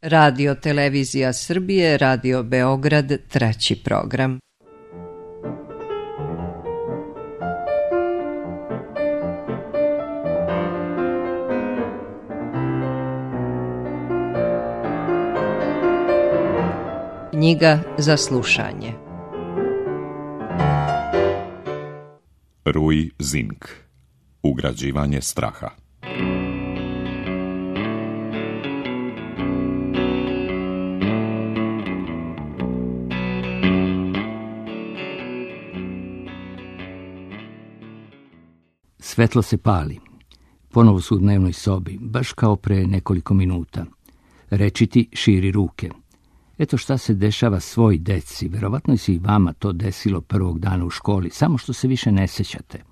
Radio Televizija Srbije, Radio Beograd, 3. program. Knjiga za slušanje. Rui Zink. Ugrađivanje straha. Svetlo se pali. Ponovo su u dnevnoj sobi, baš kao pre nekoliko minuta. Rečiti širi ruke. Eto šta se dešava svoj deci. Verovatno se i vama to desilo prvog dana u školi, samo što se više ne sećate.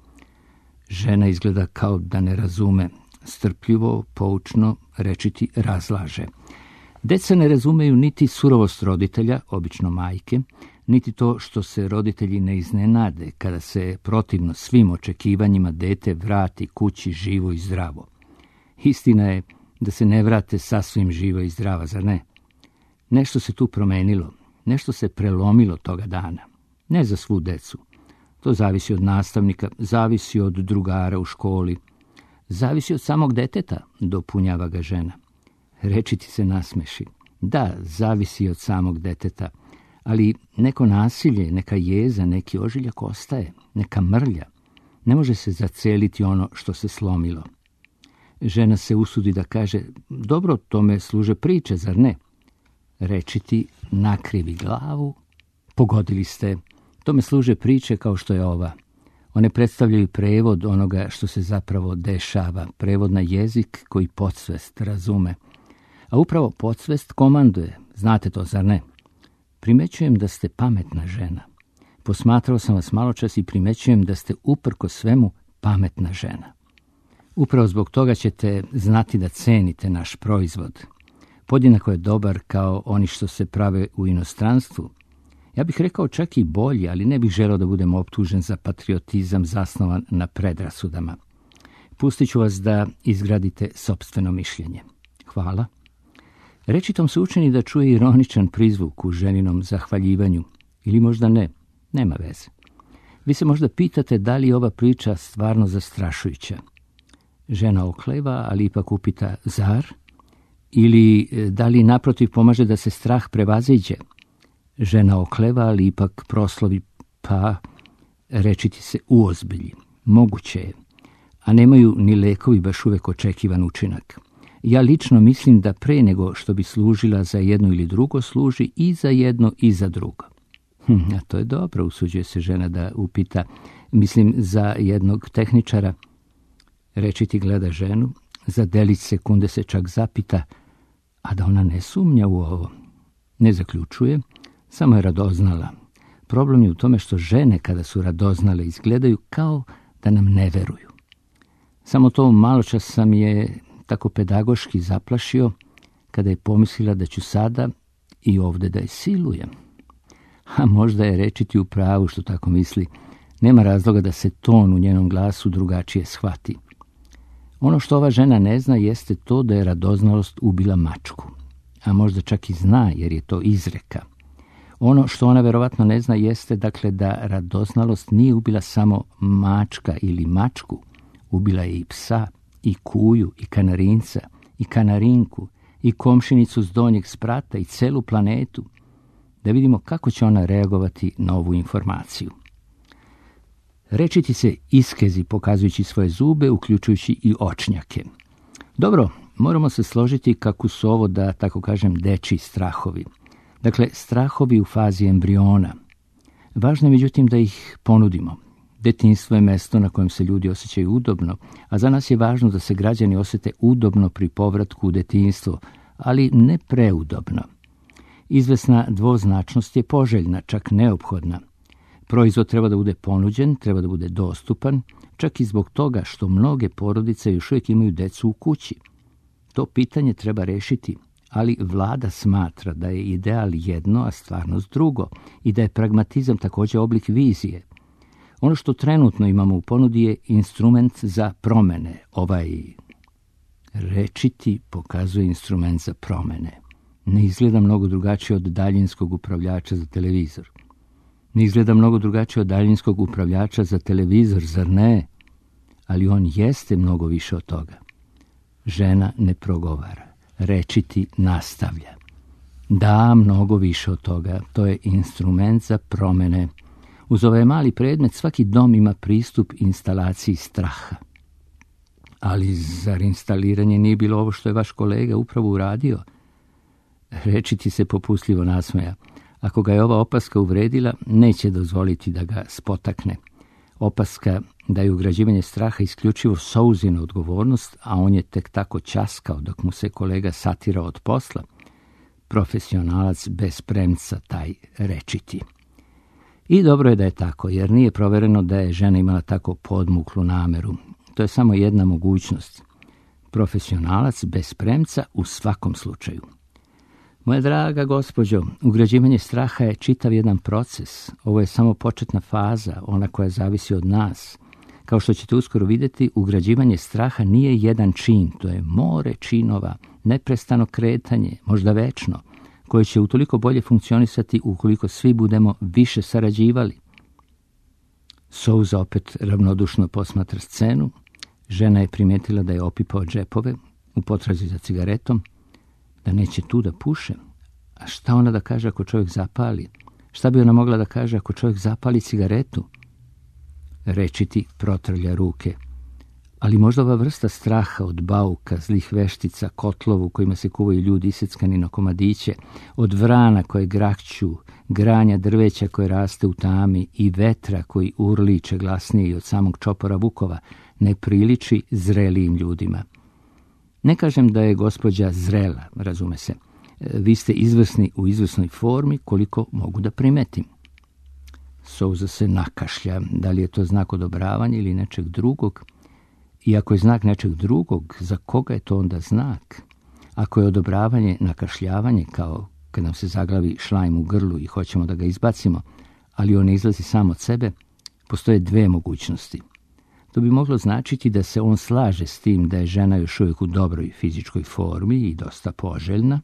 Žena izgleda kao da ne razume. Strpljivo, poučno, Rečiti razlaže. Deca ne razumeju niti surovost roditelja, obično majke, niti to što se roditelji ne iznenade kada se protivno svim očekivanjima dete vrati kući živo i zdravo. Istina je da se ne vrate sasvim živo i zdrava, zar ne? Nešto se tu promenilo, nešto se prelomilo toga dana. Ne za svu decu. To zavisi od nastavnika, zavisi od drugara u školi, zavisi od samog deteta, dopunjava ga žena. Rečiti se nasmeši. Da, zavisi od samog deteta, ali neko nasilje, neka jeza, neki ožiljak ostaje, neka mrlja. Ne može se zaceliti ono što se slomilo. Žena se usudi da kaže, dobro, tome služe priče, zar ne? Rečiti nakrivi glavu. Pogodili ste, tome služe priče kao što je ova. One predstavljaju prevod onoga što se zapravo dešava, prevod na jezik koji podsvest razume. A upravo podsvest komanduje, znate to, zar ne? Primećujem da ste pametna žena. Posmatrao sam vas maločas i primećujem da ste uprko svemu pametna žena. Upravo zbog toga ćete znati da cenite naš proizvod. Podjednako je dobar kao oni što se prave u inostranstvu. Ja bih rekao čak i bolji, ali ne bih želeo da budem optužen za patriotizam zasnovan na predrasudama. Pustit ću vas da izgradite sopstveno mišljenje. Hvala. Rečitom se učini da čuje ironičan prizvuk u ženinom zahvaljivanju. Ili možda ne, nema veze. Vi se možda pitate da li je ova priča stvarno zastrašujuća. Žena okleva, ali ipak upita, zar? Ili da li naprotiv pomaže da se strah prevaziđe? Žena okleva, ali ipak proslovi, pa Rečiti se uozbilji. Moguće je, a nemaju ni lekovi baš uvek očekivan učinak. Ja lično mislim da pre nego što bi služila za jedno ili drugo, služi i za jedno i za drugo. A to je dobro, usuđuje se žena da upita, mislim za jednog tehničara. Rečiti gleda ženu, za delić sekunde se čak zapita, a da ona ne sumnja u ovo. Ne zaključuje, samo je radoznala. Problem je u tome što žene kada su radoznale izgledaju kao da nam ne veruju. Samo to maločas sam je tako pedagoški zaplašio kada je pomislila da ću sada i ovde da je silujem. A možda je Rečiti u pravu što tako misli. Nema razloga da se ton u njenom glasu drugačije shvati. Ono što ova žena ne zna jeste to da je radoznalost ubila mačku. A možda čak i zna jer je to izreka. Ono što ona verovatno ne zna jeste dakle da radoznalost nije ubila samo mačka ili mačku. Ubila je i psa, i kuju, i kanarinca, i kanarinku, i komšinicu s donjeg sprata, i celu planetu. Da vidimo kako će ona reagovati na ovu informaciju. Rečiti se iskezi pokazujući svoje zube, uključujući i očnjake. Dobro, moramo se složiti kako su ovo, da tako kažem, dečji strahovi. Dakle, strahovi u fazi embriona. Važno je međutim da ih ponudimo. Detinjstvo je mesto na kojem se ljudi osjećaju udobno, a za nas je važno da se građani osjete udobno pri povratku u detinjstvo, ali ne preudobno. Izvesna dvoznačnost je poželjna, čak neophodna. Proizvod treba da bude ponuđen, treba da bude dostupan, čak i zbog toga što mnoge porodice još uvijek imaju decu u kući. To pitanje treba rešiti, ali vlada smatra da je ideal jedno, a stvarnost drugo, i da je pragmatizam također oblik vizije. Ono što trenutno imamo u ponudi je instrument za promene. Rečiti pokazuje instrument za promene. Ne izgleda mnogo drugačije od daljinskog upravljača za televizor. Ne izgleda mnogo drugačije od daljinskog upravljača za televizor, zar ne? Ali on jeste mnogo više od toga. Žena ne progovara. Rečiti nastavlja. Da, mnogo više od toga. To je instrument za promene. Uz ovaj mali predmet svaki dom ima pristup instalaciji straha. Ali zar instaliranje nije bilo ovo što je vaš kolega upravo uradio? Rečiti se popustljivo nasmeja. Ako ga je ova opaska uvredila, neće dozvoliti da ga spotakne. Opaska da je ugrađivanje straha isključivo Souzina odgovornost, a on je tek tako ćaskao dok mu se kolega satira od posla. Profesionalac bez premca, taj Rečiti. I dobro je da je tako, jer nije provereno da je žena imala tako podmuklu nameru. To je samo jedna mogućnost. Profesionalac bez premca u svakom slučaju. Moja draga gospođo, ugrađivanje straha je čitav jedan proces. Ovo je samo početna faza, ona koja zavisi od nas. Kao što ćete uskoro vidjeti, ugrađivanje straha nije jedan čin, to je more činova, neprestano kretanje, možda večno, koje će utoliko bolje funkcionisati ukoliko svi budemo više sarađivali. Souza opet ravnodušno posmatra scenu. Žena je primijetila da je opipao džepove u potrazi za cigaretom, da neće tu da puše. A šta ona da kaže ako čovjek zapali? Šta bi ona mogla da kaže ako čovjek zapali cigaretu? Rečiti protrlja ruke. Ali možda ova vrsta straha od bauka, zlih veštica, kotlovu kojima se kuvaju ljudi iseckani na komadiće, od vrana koje grakću, granja drveća koje raste u tami i vetra koji urliče glasnije od samog čopora vukova, ne priliči zrelijim ljudima. Ne kažem da je gospođa zrela, razume se. Vi ste izvrsni u izvrsnoj formi koliko mogu da primetim. Souza se nakašlja. Da li je to znak odobravanja ili nečeg drugog? I ako je znak nečeg drugog, za koga je to onda znak? Ako je odobravanje nakašljavanje, kao kad nam se zaglavi šlajm u grlu i hoćemo da ga izbacimo, ali on ne izlazi sam od sebe, postoje dve mogućnosti. To bi moglo značiti da se on slaže s tim da je žena još uvijek u dobroj fizičkoj formi i dosta poželjna.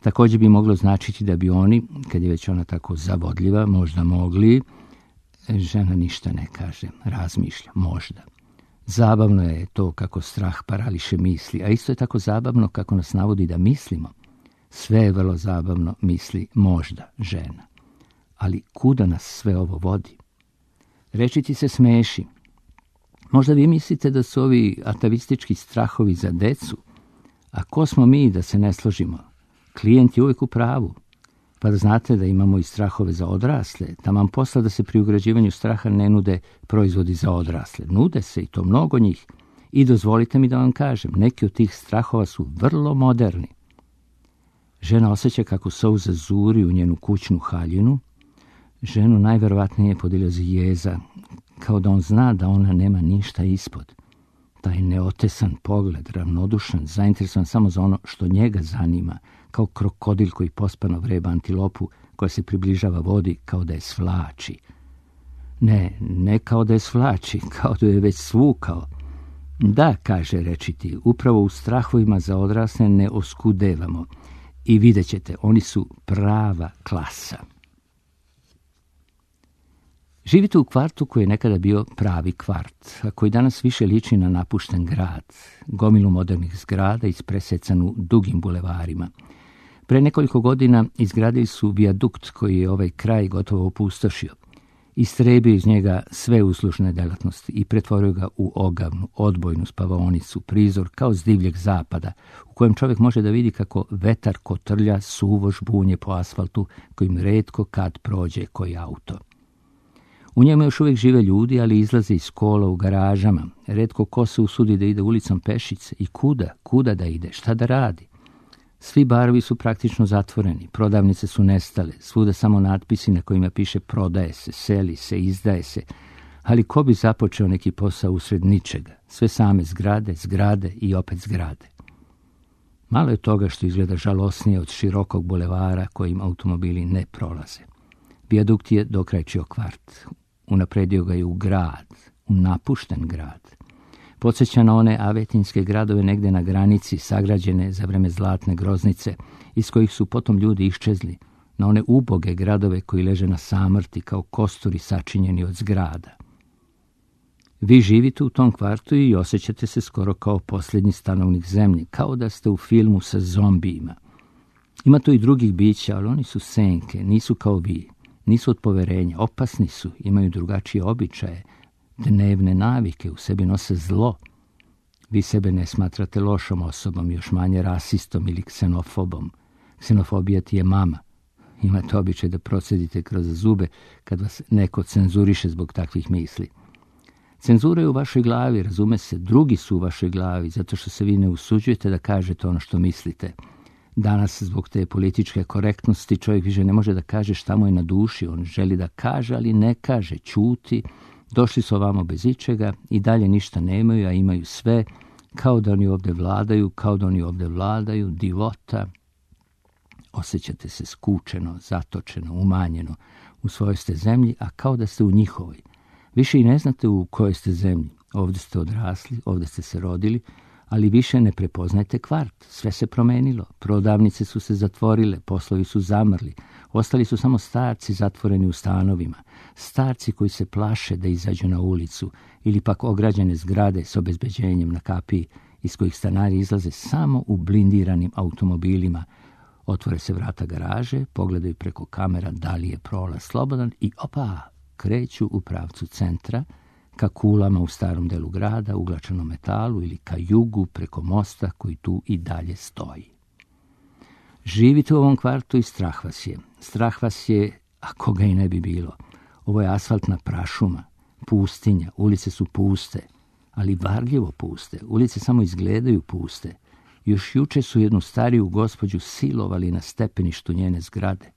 Također bi moglo značiti da bi oni, kad je već ona tako zavodljiva, možda mogli. Žena ništa ne kaže, razmišlja, možda. Zabavno je to kako strah parališe misli, a isto je tako zabavno kako nas navodi da mislimo. Sve je vrlo zabavno, misli možda žena. Ali kuda nas sve ovo vodi? Rečiti se smeši. Možda vi mislite da su ovi atavistički strahovi za decu, a ko smo mi da se ne složimo? Klijent je uvijek u pravu. Pa da znate da imamo i strahove za odrasle, taman posla da se pri ugrađivanju straha ne nude proizvodi za odrasle. Nude se i to mnogo njih. I dozvolite mi da vam kažem, neki od tih strahova su vrlo moderni. Žena osjeća kako Souza zuri u njenu kućnu haljinu. Ženu najverovatnije podilazi jeza, kao da on zna da ona nema ništa ispod. Taj neotesan pogled, ravnodušan, zainteresovan samo za ono što njega zanima, kao krokodil koji pospano vreba antilopu koja se približava vodi kao da je svlači. Ne kao da je svlači, kao da je već svukao. Da, kaže Rečiti, upravo u strahovima za odrasle ne oskudevamo. I vidjet ćete, oni su prava klasa. Živite u kvartu koji je nekada bio pravi kvart, a koji danas više liči na napušten grad, gomilu modernih zgrada ispresecanu dugim bulevarima. Pre nekoliko godina izgradili su vijadukt koji je ovaj kraj gotovo opustošio. Istrebio iz njega sve uslužne delatnosti i pretvorio ga u ogavnu, odbojnu spavaonicu, prizor kao s divljeg zapada, u kojem čovjek može da vidi kako vetar kotrlja suvo žbunje po asfaltu kojim retko kad prođe koji auto. U njemu još uvijek žive ljudi, ali izlaze iz kola u garažama. Retko ko se usudi da ide ulicom pešice i kuda da ide, šta da radi. Svi barovi su praktično zatvoreni, prodavnice su nestale, svuda samo natpisi na kojima piše prodaje se, seli se, izdaje se. Ali ko bi započeo neki posao usred ničega? Sve same zgrade i opet zgrade. Malo je toga što izgleda žalosnije od širokog bulevara kojim automobili ne prolaze. Vijadukt je dokrajčio kvart. Unapredio ga je u grad, u napušten grad. Podsjeća na one avetinske gradove negdje na granici, sagrađene za vreme zlatne groznice, iz kojih su potom ljudi iščezli, na one uboge gradove koji leže na samrti kao kosturi sačinjeni od zgrada. Vi živite u tom kvartu i osjećate se skoro kao posljednji stanovnik zemlje, kao da ste u filmu sa zombijima. Ima tu i drugih bića, ali oni su senke, nisu kao vi, nisu od poverenja, opasni su, imaju drugačije običaje, dnevne navike, u sebi nose zlo. Vi sebe ne smatrate lošom osobom, još manje rasistom ili ksenofobom. Ksenofobija ti je mama. Imate običaj da procedite kroz zube kad vas neko cenzuriše zbog takvih misli. Cenzura je u vašoj glavi, razume se, drugi su u vašoj glavi, zato što se vi ne usuđujete da kažete ono što mislite. Danas, zbog te političke korektnosti, čovjek više ne može da kaže šta mu je na duši. On želi da kaže, ali ne kaže, ćuti. Došli su ovamo bez ičega i dalje ništa nemaju, a imaju sve, kao da oni ovdje vladaju, divota. Osjećate se skučeno, zatočeno, umanjeno. U svojoj ste zemlji, a kao da ste u njihovoj. Više i ne znate u kojoj ste zemlji. Ovdje ste odrasli, ovdje ste se rodili, ali više ne prepoznajete kvart. Sve se promenilo. Prodavnice su se zatvorile, poslovi su zamrli. Ostali su samo starci zatvoreni u stanovima. Starci koji se plaše da izađu na ulicu ili pak ograđene zgrade s obezbeđenjem na kapiji iz kojih stanari izlaze samo u blindiranim automobilima. Otvore se vrata garaže, pogledaju preko kamera da li je prolaz slobodan i opa, kreću u pravcu centra, ka kulama u starom delu grada, uglačenom metalu ili ka jugu preko mosta koji tu i dalje stoji. Živite u ovom kvartu i strah vas je. Strah vas je, ako ga i ne bi bilo. Ovo je asfaltna prašuma, pustinja, ulice su puste, ali varljivo puste. Ulice samo izgledaju puste. Još juče su jednu stariju gospođu silovali na stepeništu njene zgrade.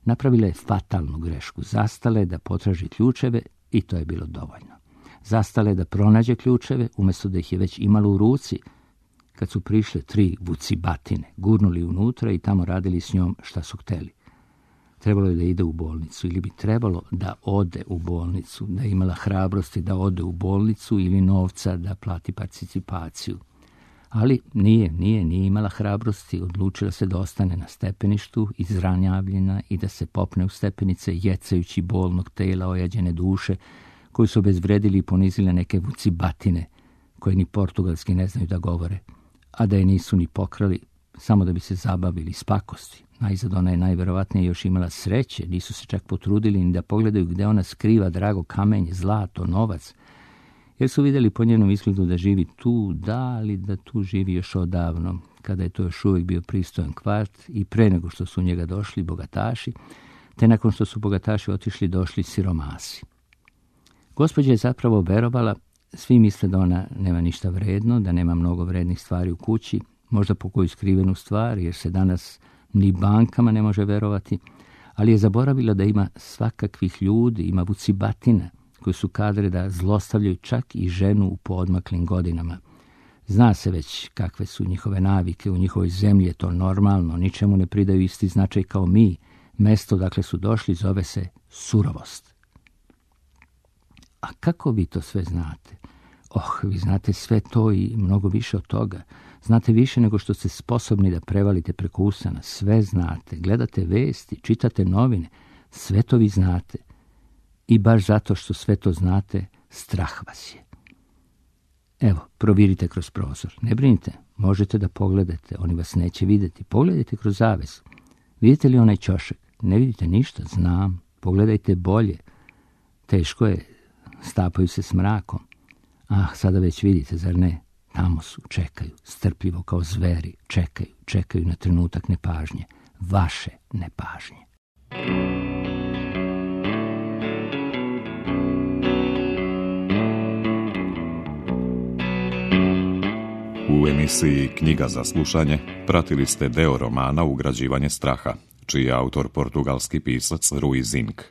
Napravila je fatalnu grešku. Zastala je da potraži ključeve i to je bilo dovoljno. Zastala je da pronađe ključeve, umjesto da ih je već imala u ruci. Kad su prišle 3 vucibatine, gurnuli unutra i tamo radili s njom šta su hteli. Trebalo je da ide u bolnicu ili bi trebalo da ode u bolnicu, da je imala hrabrosti da ode u bolnicu ili novca da plati participaciju. Ali nije imala hrabrosti, odlučila se da ostane na stepeništu, izranjavljena i da se popne u stepenice, jecajući bolnog tela ojađene duše, koji su obezvredili i ponizile neke vucibatine, koje ni portugalski ne znaju da govore, a da je nisu ni pokrali, samo da bi se zabavili s pakosti. Najzad ona je najverovatnije još imala sreće, nisu se čak potrudili ni da pogledaju gde ona skriva drago kamenje, zlato, novac, jer su vidjeli po njenom izgledu da živi tu, ali da tu živi još odavno, kada je to još uvijek bio pristojan kvart i pre nego što su u njega došli bogataši, te nakon što su bogataši otišli došli siromasi. Gospođa je zapravo verovala, svi misle da ona nema ništa vredno, da nema mnogo vrednih stvari u kući, možda po koju skrivenu stvar, jer se danas ni bankama ne može verovati, ali je zaboravila da ima svakakvih ljudi, ima vucibatina, koji su kadre da zlostavljaju čak i ženu u poodmaklim godinama. Zna se već kakve su njihove navike, u njihovoj zemlji je to normalno, ničemu ne pridaju isti značaj kao mi. Mesto dakle su došli zove se surovost. A kako vi to sve znate? Vi znate sve to i mnogo više od toga. Znate više nego što ste sposobni da prevalite preko usana. Sve znate, gledate vesti, čitate novine, sve to vi znate. I baš zato što sve to znate, strah vas je. Evo, provirite kroz prozor. Ne brinite, možete da pogledate, oni vas neće vidjeti. Pogledajte kroz zaves. Vidite li onaj ćošak? Ne vidite ništa, znam. Pogledajte bolje. Teško je, stapaju se s mrakom. Sada već vidite, zar ne? Tamo su, čekaju, strpljivo kao zveri, čekaju na trenutak nepažnje. Vaše nepažnje. U emisiji Knjiga za slušanje pratili ste deo romana Ugrađivanje straha, čiji je autor portugalski pisac Rui Zinck.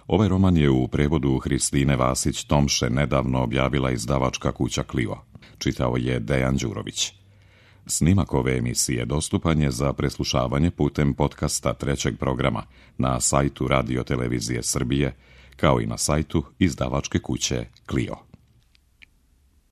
Ovaj roman je u prevodu Hristine Vasić-Tomše nedavno objavila izdavačka kuća Clio. Čitao je Dejan Đurović. Snimak ove emisije dostupan je za preslušavanje putem podcasta 3. programa na sajtu Radio Televizije Srbije, kao i na sajtu izdavačke kuće Clio.